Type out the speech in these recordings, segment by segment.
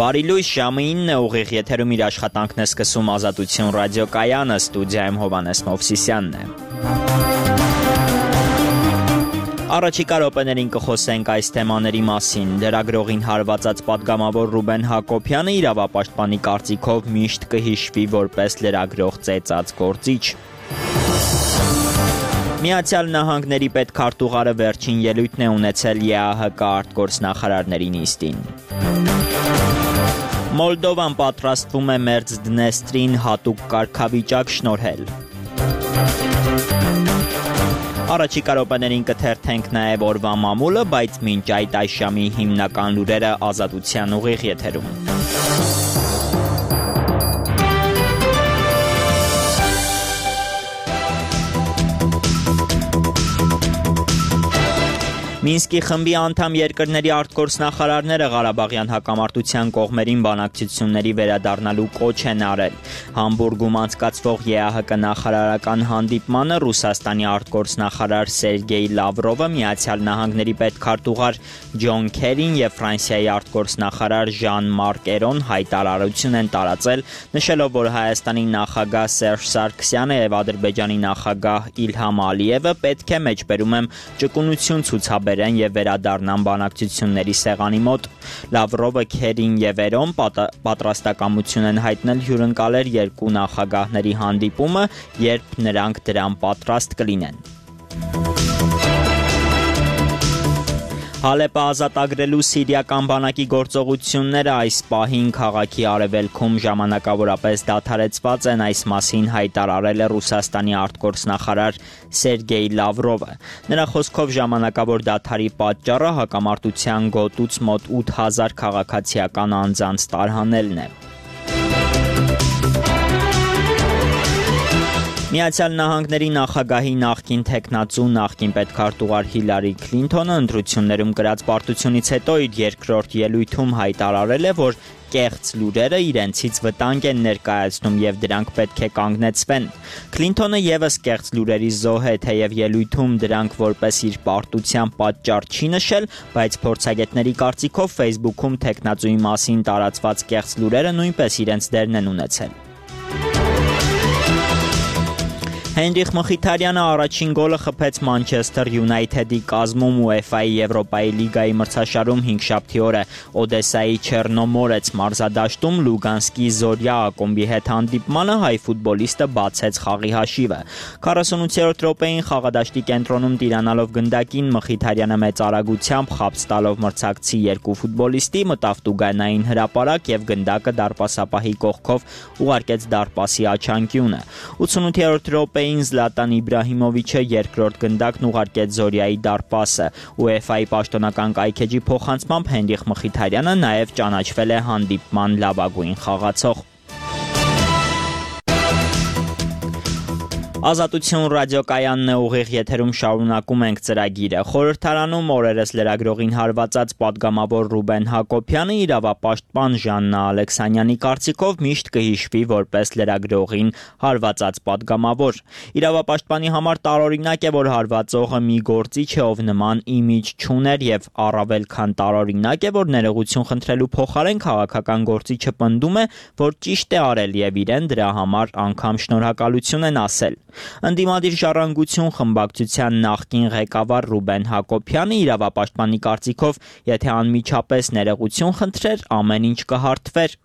Բարի լույս, ժամը 9 ուղիղ եթերում իր աշխատանքն է սկսում Ազատություն ռադիոկայանը, ստուդիայում Հովհաննես Մովսիսյանն է։ Առաջիկա րոպեներին կխոսենք այս թեմաների մասին։ Լրագրողին հարվածած պատգամավոր Ռուբեն Հակոբյանը իրավապաշտպանի կարծիքով միշտ կհիշվի որպես լրագրող ծեծած գործիչ։ Միացյալ Նահանգների պետքարտուղարը վերջին ելույթն է ունեցել ԵԱՀԿ արտգործնախարարների նիստին։ Մոլդովան պատրաստվում է Մերձդնեստրին հատուկ կարգավիճակ շնորհել։ Առաջիկա րոպեներին կթերթենք նաև օրվա մամուլը, բայց մինչ այդ այս ժամի հիմնական լուրերը Ազատության ուղիղ եթերում։ Մինսկի խմբի անդամ երկրների արտգործնախարարները Ղարաբաղյան հակամարտության կողմերին բանակցությունների վերադառնալու կոչ են արել։ Համբուրգում անցկացվող ԵԱՀԿ նախարարական հանդիպմանը Ռուսաստանի արտգործնախարար Սերգեյ Լավրովը, Միացյալ Նահանգների պետքարտուղար Ջոն Քերին եւ Ֆրանսիայի արտգործնախարար Ժան-Մարկ Էրոն հայտարարություն են տարածել, նշելով, որ Հայաստանի նախագահ Սերժ Սարգսյանը եւ Ադրբեջանի նախագահ Իլհամ Ալիևը պետք է մեջբերում են ճկունություն ցուցաբերեն եւ վերադառնան բանակցությունների սեղանի մոտ։ Լավրովը, Քերին եւ Էրոն պատրաստակամություն են հայտնել հյուրընկալել երկու նախագահների հանդիպումը, երբ նրանք դրան պատրաստ կլինեն։ Հալեպը ազատագրելու սիրիական բանակի գործողությունները այս պահին քաղաքի արևելքում ժամանակավորապես դադարեցված են, այս մասին հայտարարել է Ռուսաստանի արտգործնախարար Սերգեյ Լավրովը։ Նրա խոսքով ժամանակավոր դադարի պատճառը հակամարտության գոտուց մոտ 8000 քաղաքացիական անձանց տարհանելն է։ Միացյալ Նահանգների նախագահի նախկին թեկնածու նախկին պետքարտուղար Հիլարի Քլինթոնը ընտրություններում կրած պարտությունից հետո իր երկրորդ ելույթում հայտարարել է, որ կեղծ լուրերը իրենցից վտանգ են ներկայացնում եւ դրանք պետք է կանգնեցվեն։ Քլինթոնը եւս կեղծ լուրերի զոհ է, թեև ելույթում դրանք որպես իր պարտության պատճառ չի նշել, բայց փորձագետների կարծիքով Facebook-ում թեկնածուի մասին տարածված կեղծ լուրերը նույնպես իրենց դերն են ունեցել։ Հենրիխ Մխիթարյանը առաջին գոլը խփեց Մանչեսթեր Յունայթեդի կազմում UEFA-ի Եվրոպայի լիգայի մրցաշարում հինգշաբթի օրը Օդեսայի Չեռնոմորեց մարզադաշտում Լուգանսկի Զորյա ակումբի հետ հանդիպմանը հայ ֆուտբոլիստը բացեց խաղի հաշիվը։ 48-րդ րոպեին խաղադաշտի կենտրոնում տիրանալով գնդակին Մխիթարյանը մեծ արագությամբ խաբծ տալով մրցակցի երկու ֆուտբոլիստի մտավ տուգանային հրապարակ եւ գնդակը դարպասապահի կողքով ուղարկեց դարպասի աչանկյունը։ 88-րդ րոպեին Զլատան Իբրահիմովիչը երկրորդ գնդակն ուղարկեց Զորյայի դարպասը։ UEFA-ի պաշտոնական կայքեջի փոխանցմամբ Հենրիխ Մխիթարյանը նաև ճանաչվել է հանդիպման լավագույն խաղացող։ Ազատություն ռադիոկայանն է, ուղիղ եթերում շարունակում ենք ծրագիրը։ Խորհրդարանում օրերս լրագրողին հարվածած պատգամավոր Ռուբեն Հակոբյանը իրավապաշտպան Ժաննա Ալեքսանյանի կարծիքով միշտ կհիշվի որպես լրագրողին հարվածած պատգամավոր։ Իրավապաշտպանի համար տարօրինակ է, որ հարվածողը մի գործիչ է, ով նման իմիջ չուներ, եւ առավել քան տարօրինակ է, որ ներողություն խնդրելու փոխարեն քաղաքական գործիչը պնդում է, որ ճիշտ է արել եւ իրեն դրա համար անգամ շնորհակալություն են ասել։ Ընդդիմադիր ժառանգություն խմբակցության նախկին ղեկավար Ռուբեն Հակոբյանը իրավապաշտպանի կարծիքով, եթե անմիջապես ներողություն խնդրեր, ամեն ինչ կհարթվեր։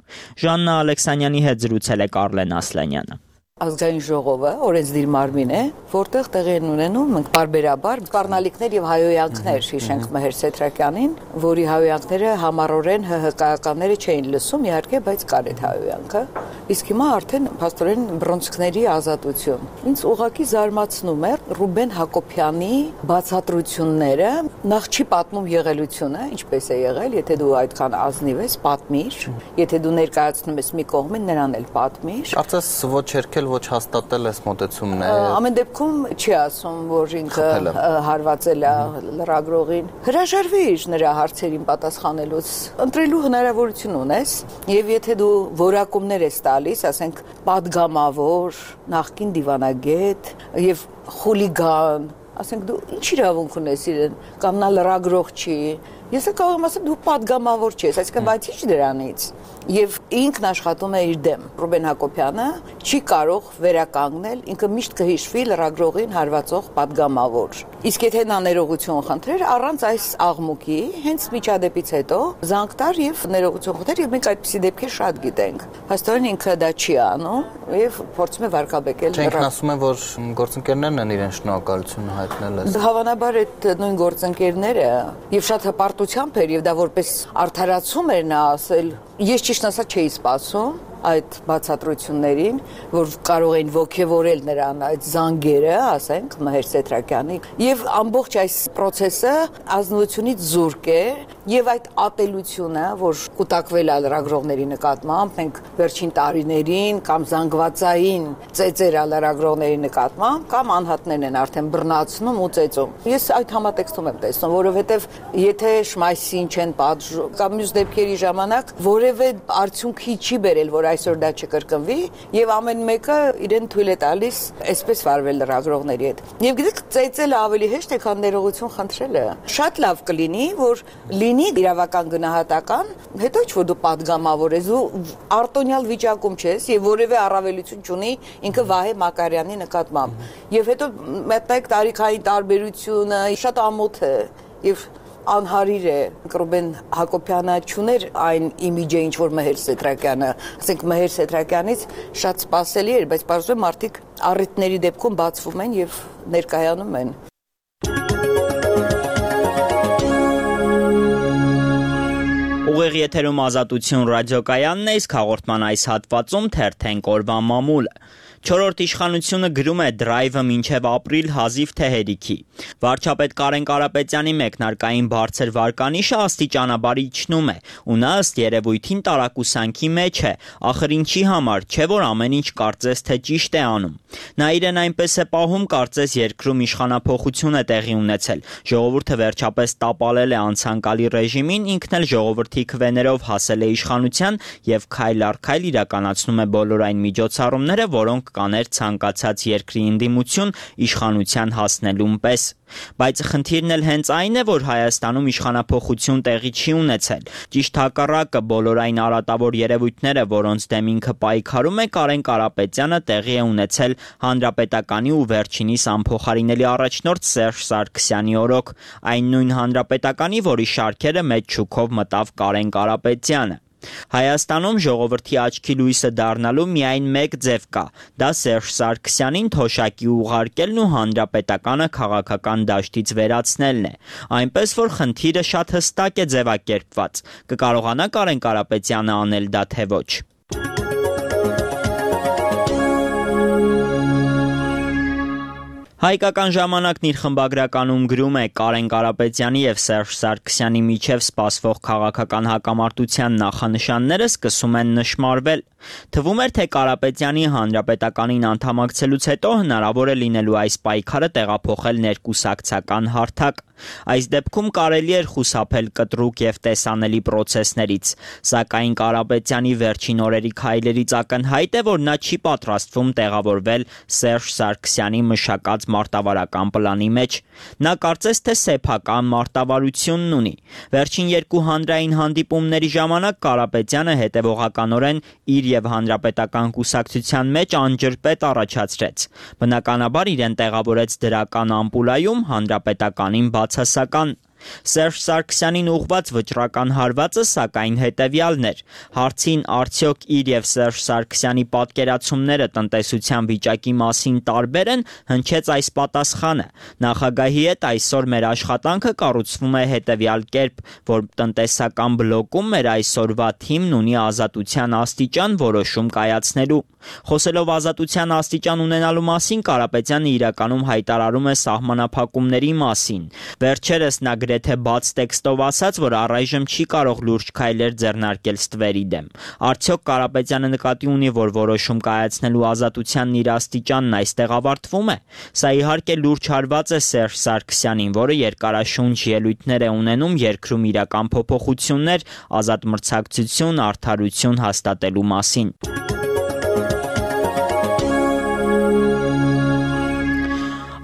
Ժաննա Ալեքսանյանի հետ զրուցել է Կարլեն Ասլանյանը։ Ազգային ժողովը օրենսդիր մարմին է, որտեղ տեղի են ունենում մենք բարբերաբար սպառնալիքներ եւ հայոյանքներ, հիշենք Մհեր Սեթրակյանին, որի հայոյանքները համառորեն ՀՀԿ-ականները չէին լսում, իհարկե, բայց կար այդ հայոյանքը։ Իսկ հիմա արդեն փաստորեն բռունցքների ազատություն։ Ինձ ուղղակի զարմացնում է Ռուբեն Հակոբյանի բացատրությունները, նախ չի պատմում եղելությունը, ինչպես է եղել, եթե դու այդքան ազնիվ ես, պատմիր, եթե դու ներկայացնում ես մի կողմին, նրան էլ պատմիր։ Կարծես ոչ երկել ոչ հաստատել այս մոտեցումն է։ Ամեն դեպքում չի ասում, որ ինքը հարվածել է լրագրողին։ Հրաժարվիր նրա հարցերին պատասխանելուց։ Ընտրելու հնարավորություն ունես, եւ եթե դու որակումներ ես տալիս, ասենք պատգամավոր, նախկին դիվանագետ եւ խուլիգան, ասենք դու ինչ իրավունք ունես իրեն, կամ նա լրագրող չի, Ես կարող եմ ասել դու պատգամավոր չես, այսինքն բայց ինչ դրանից։ Եվ ինքն աշխատում է իր դեմ։ Ռուբեն Հակոբյանը չի կարող վերականգնել, ինքը միշտ կհիշվի լրագրողին հարվածող պատգամավոր։ Իսկ եթե նա ներողություն խնդրեր առանց այս աղմուկի, հենց միջադեպից հետո զանգ տար եւ ներողություն խնդրեր, եւ մենք այդպիսի դեպքեր շատ գիտենք։ Փաստորեն ինքը դա չի անում եւ փորձում է վարկաբեկել։ Չենք ասում են, որ գործընկերներն են իրեն շնորհակալություն հայտնել այս։ Հավանաբար այդ նույն գործընկերները եւ շատ հպարտությամբ էր եւ դա որպես արդարացում էր նա ասել։ Ես ճիշտ ասած չէի սպասում այդ բացատրություններին, որ կարող էին ոգևորել նրան այդ զանգերը, ասենք, Մհեր Սեթրակյանի, եւ ամբողջ այս process-ը ազնվությունից զուրկ է, եւ այդ ատելությունը, որ կուտակվել է լրագրողների նկատմամբ, մենք վերջին տարիներին կամ զանգվածային ծեծեր լրագրողների նկատմամբ, կամ անհատներն են արդեն բռնացնում ու ծեծում։ Ես այդ համատեքստում եմ տեսնում, որովհետեւ եթե շմայսին չեն պատժում, կամ մյուս դեպքերի ժամանակ որևէ արդյունքի չի բերել, որ այսօր դա չկրկնվի եւ ամեն մեկը իրեն թույլ է տալիս այսպես վարվել լրագրողների հետ։ Եվ գիտեք, ծեծելը ավելի հեշտ է, քան ներողություն խնդրելը։ Շատ լավ կլինի, որ լինի իրավական գնահատական, հետո ոչ որ դու պատգամավոր ես, ու արտոնյալ վիճակում չես եւ որևէ առավելություն չունի ինքը Վահե Մակարյանի նկատմամբ։ Եվ հետո մտեք տարիքային տարբերությունը շատ ամոթ է եւ անհարիր է Ռուբեն Հակոբյանը չուներ այն իմիջը, ինչ որ Մհեր Սեթրակյանը, ասենք Մհեր Սեթրակյանից շատ սպասելի էր, բայց բարձր մարդիկ առիթների դեպքում բացվում են եւ ներկայանում են։ Ուղիղ եթերում Ազատություն ռադիոկայանն է, իսկ հաղորդման այս հատվածում թերթենք օրվա մամուլը։ Չորրորդ իշխանությունը գրում է դրայվը մինչև ապրիլ հազիվ թե հերիքի։ Վարչապետ Կարեն Կարապետյանի մեկնարկային բարձր վարկանիշը աստիճանաբար իջնում է, ու նա ըստ երևույթին տարակուսանքի մեջ է, ախր ինչի համար, չէ որ ամեն ինչ կարծես թե ճիշտ է անում։ Նա իրեն այնպես է պահում, կարծես երկրում իշխանափոխություն է տեղի ունեցել։ Ժողովուրդը վերջապես տապալել է անցանկալի ռեժիմին, ինքն էլ ժողովրդի քվեներով հասել է իշխանության եւ քայլ առ քայլ իրականացնում է բոլոր այն միջոցառումները, որոնք կաներ ցանկացած երկրի ընդդիմություն իշխանության հասնելուն պես։ Բայց խնդիրն էլ հենց այն է, որ Հայաստանում իշխանափոխություն տեղի չի ունեցել։ Ճիշտ հակառակը, բոլոր այն արատավոր երևույթները, որոնց դեմ ինքը պայքարում է, Կարեն Կարապետյանը տեղի է ունեցել հանրապետականի ու վերջինիս անփոխարինելի առաջնորդ Սերժ Սարգսյանի օրոք, այն նույն հանրապետականի, որի շարքերը մեծ շուքով մտավ Կարեն Կարապետյանը։ Հայաստանում ժողովրդի աչքի լույսը դառնալու միայն մեկ ձև կա, դա Սերժ Սարգսյանին թոշակի ուղարկելն ու հանրապետականը քաղաքական դաշտից վերացնելն է, այնպես որ խնդիրը շատ հստակ է ձևակերպված, կկարողանա Կարեն Կարապետյանը անել դա թե ոչ։ Հայկական ժամանակն իր խմբագրականում գրում է Կարեն Կարապետյանի եւ Սերժ Սարգսյանի միջև սպասվող քաղաքական հակամարտության նախանշանները սկսում են նշմարվել։ Թվում էր, թե Կարապետյանի հանրապետականին անդամակցելուց հետո հնարավոր է լինելու այս պայքարը տեղափոխել ներկուսակցական հարթակ։ Այս դեպքում կարելի էր խուսափել կտրուկ եւ տեսանելի պրոցեսներից, սակայն Կարապետյանի վերջին օրերի քայլերից ակնհայտ է, որ նա չի պատրաստվում տեղավորվել Սերժ Սարգսյանի մշակած մարտավարական պլանի մեջ։ Նա կարծես թե սեփական մարտավարությունն ունի։ Վերջին երկու հանրային հանդիպումների ժամանակ Կարապետյանը հետևողականորեն իր եւ հանրապետական կուսակցության մեջ անջրպետ առաջացրեց։ Բնականաբար իրեն տեղավորեց դրական ամպուլայում, հանրապետականին բացասական։ Սերժ Սարգսյանին ուղղված վճռական հարվածը սակայն հետևյալն էր. հարցին արդյոք իր եւ Սերժ Սարգսյանի պատկերացումները տնտեսության վիճակի մասին տարբեր են, հնչեց այս պատասխանը. նախագահի հետ այսօր մեր աշխատանքը կառուցվում է հետևյալ կերպ, որ տնտեսական բլոկում մեր այսօրվա թիմն ունի ազատության աստիճան որոշում կայացնելու։ Խոսելով ազատության աստիճան ունենալու մասին, Կարապետյանը իրականում հայտարարում է սահմանափակումների մասին։ Վերջերս նա գրեթե բաց տեքստով ասաց, որ առայժմ չի կարող լուրջ քայլեր ձեռնարկել ստվերի դեմ։ Արդյոք Կարապետյանը նկատի ունի, որ որոշում կայացնելու ազատությանն իր աստիճանն այստեղ ավարտվում է։ Սա իհարկե լուրջ հարված է Սերժ Սարգսյանին, որը երկարաշունչ ելույթներ է ունենում երկրում իրական փոփոխություններ, ազատ մրցակցություն, արդարություն հաստատելու մասին։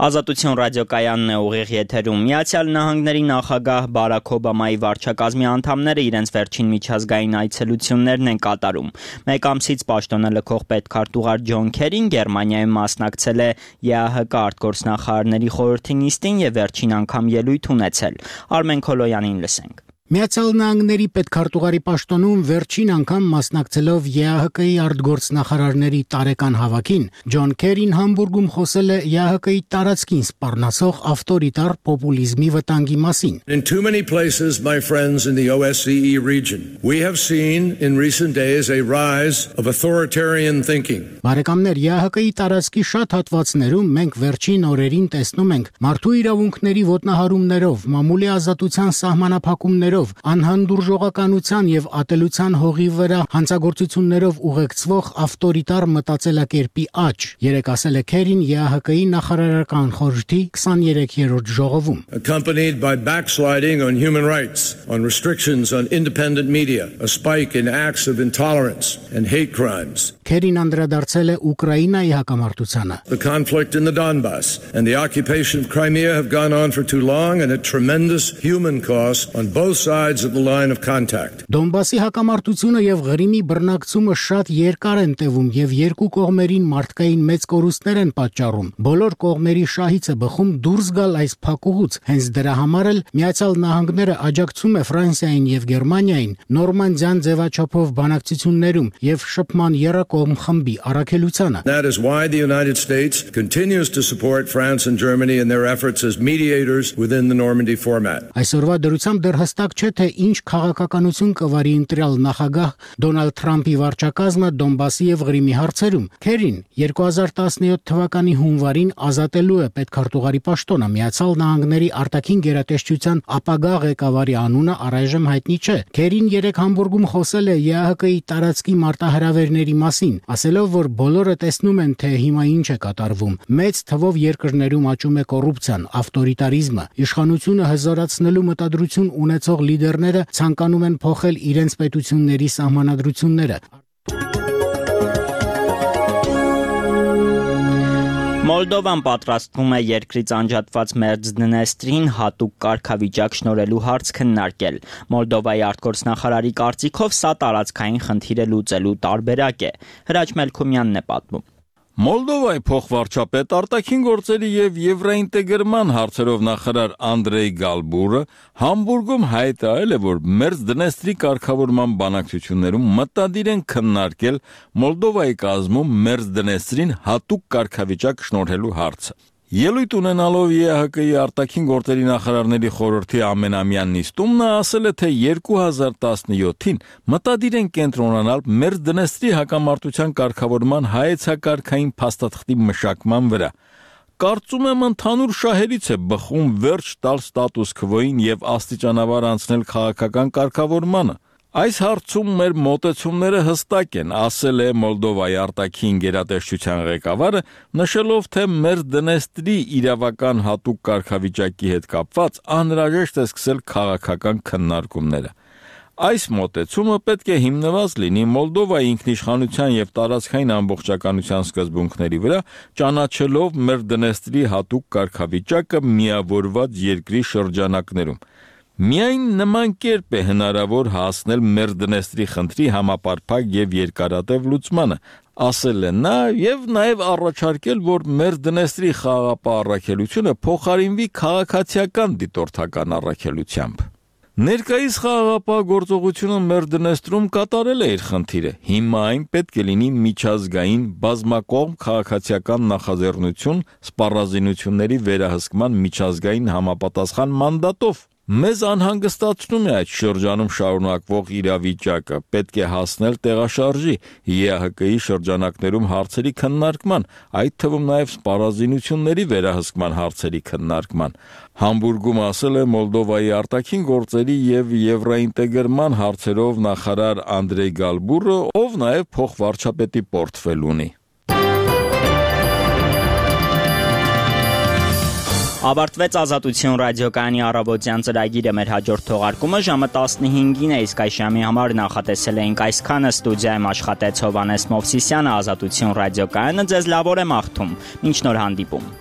Ազատություն ռադիոկայանն է ուղիղ եթերում։ Միացյալ Նահանգների նախագահ Բարաք Օբամայի վարչակազմի անդամները իրենց վերջին միջազգային այցելություններն են կատարում։ Մեկ ամսից պաշտոնը լքող պետքարտուղար Ջոն Քերին Գերմանիայում մասնակցել է ԵԱՀԿ արտգործնախարարների խորհրդի նիստին եւ վերջին անգամ ելույթ ունեցել։ Արմեն Քոլոյանին լսենք։ Միացյալ Նահանգների պետքարտուղարի պաշտոնում վերջին անգամ մասնակցելով ԵԱՀԿ-ի արտգործնախարարների տարեկան հավաքին, Ջոն Քերին Համբուրգում խոսել է ԵԱՀԿ-ի տարածքին սպառնացող ավտորիտար պոպուլիզմի վտանգի մասին։ In too many places, my friends in the OSCE region, we have seen in recent days a rise of authoritarian thinking. Բարեկամներ, ԵԱՀԿ-ի տարածքի շատ հատվածներում մենք վերջին օրերին տեսնում ենք մարդու իրավունքների ոտնահարումներով, մամուլի ազատության սահմանափակումներով, անհանդուրժողականության եւ ատելության հողի վրա հանցագործություններով ուղեկցվող ավտորիտար մտածելակերպի աճ, երեք ասել է Քերին ԵԱՀԿ-ի նախարարական խորհրդի 23-րդ ժողովում։ Accompanied by backsliding on human rights, on restrictions on independent media, a spike in acts of intolerance and hate crimes. Քերին անդրադարձել է Ուկրաինայի հակամարտությանը։ The conflict in the Donbass and the occupation of Crimea have gone on for too long and at tremendous human cost on both sides of the line of contact. Դոնբասի հակամարտությունը եւ Ղրիմի բռնակցումը շատ երկար են տևում եւ երկու կողմերին մարդկային մեծ կորուստներ են պատճառում։ Բոլոր կողմերի շահից է բխում դուրս գալ այս փակուղուց։ Հենց դրա համար էլ Միացյալ Նահանգները աջակցում է Ֆրանսիային եւ Գերմանիային Նորմանդիան ձևաչափով բանակցություններում եւ շփման երակողմ խմբի առաքելությանը։ That is why the United States continues to support France and Germany in their efforts as mediators within the Normandy format. Այսօրվա դրությամբ դեռ հստակ չէ թե ինչ քաղաքականություն կվարի ընտրյալ նախագահ Դոնալդ Թրամփի վարչակազմը Դոնբասի եւ Ղրիմի հարցերում։ Քերին 2017 թվականի հունվարին ազատելու է պետքարտուղարի պաշտոնը։ Միացյալ Նահանգների արտաքին գերատեսչության ապագա ղեկավարի անունը առայժմ հայտնի չէ։ Քերին երեք Համբուրգում խոսել է ԵԱՀԿ-ի տարածքի մարտահրավերների մասին, ասելով, որ բոլորը տեսնում են, թե հիմա ինչ է կատարվում։ Մեծ թվով երկրներում աճում է կոռուպցիան, ավտորիտարիզմը, իշխանությունը հզորացնելու մտադրություն ունեցող լիդերները ցանկանում են փոխել իրենց պետությունների սահմանադրությունները։ Մոլդովան պատրաստվում է երկրից անջատված Մերձդնեստրին հատուկ կարգավիճակ շնորհելու հարց քննարկել։ Մոլդովայի արտգործնախարարի կարծիքով սա տարածքային խնդիր է լուծելու տարբերակ է։ Հրաչ Մելքումյանն է պատմում։ Մոլդովայի փոխվարչապետ արտաքին գործերի եւ եվրոինտեգրման հարցերով նախարար Անդրեյ Գալբուրը Համբուրգում հայտարարել է, որ Մերձդնեստրի կարգավորման բանակցություններում մտադիր են քննարկել Մոլդովայի կազմում Մերձդնեստրին հատուկ կարգավիճակ շնորհելու հարցը։ Ելույթ ունենալով ԵԱՀԿ-ի արտաքին գործերի նախարարների խորհրդի ամենամյա նիստում նա ասել է, թե 2017-ին մտադիր են կենտրոնանալ Մերձդնեստրի հակամարտության կարգավորման հայեցակարգային փաստաթղթի մշակման վրա։ Կարծում եմ ընդհանուր շահերից է բխում վերջ տալ ստատուս քվոին եւ աստիճանաբար անցնել քաղաքական կարգավորմանը։ Այս հարցում մեր մոտեցումները հստակ են, ասել է Մոլդովայի արտաքին գերատեսչության ղեկավարը, նշելով, թե Մերձդնեստրի իրավական հատուկ կարգավիճակի հետ կապված անհրաժեշտ է սկսել քաղաքական քննարկումները։ Այս մոտեցումը պետք է հիմնված լինի Մոլդովայի ինքնիշխանության եւ տարածքային ամբողջականության սկզբունքների վրա, ճանաչելով Մերձդնեստրի հատուկ կարգավիճակը միավորված երկրի շրջանակներում։ Միայն նման կերպ է հնարավոր հասնել Մերձդնեստրի խնդրի համապարփակ եւ երկարատև լուծմանը, ասել է նա եւ նաեւ առաջարկել, որ Մերձդնեստրի խաղաղապահ առաքելությունը փոխարինվի քաղաքացիական դիտորդական առաքելությամբ։ Ներկայիս խաղաղապահ գործողությունը Մերձդնեստրում կատարել է իր խնդիրը։ Հիմա այն պետք է լինի միջազգային բազմակողմ քաղաքացիական նախաձեռնություն սպառազինությունների վերահսկման միջազգային համապատասխան մանդատով։ Մեզ անհանգստացնում է այդ շրջանում շարունակվող իրավիճակը, պետք է հասնել տեղաշարժի, ԵԱՀԿ-ի շրջանակներում հարցերի քննարկման, այդ թվում նաև սպառազինությունների վերահսկման հարցերի քննարկման։ Համբուրգում ասել է Մոլդովայի արտաքին գործերի եւ եվրոինտեգրման հարցերով նախարար Անդրեյ Գալբուրը, ով նաև փոխվարչապետի պորտֆել ունի։ Ավարտվեց Ազատություն ռադիոկայանի առավոտյան ծրագիրը, մեր հաջորդ թողարկումը ժամը 15-ին է, իսկ այս ժամի համար նախատեսել էինք այսքանը։ Ստուդիայում աշխատեց Հովհաննես Մովսիսյանը, Ազատություն ռադիոկայանը ձեզ լավ օր է մաղթում։ Մինչ նոր հանդիպում։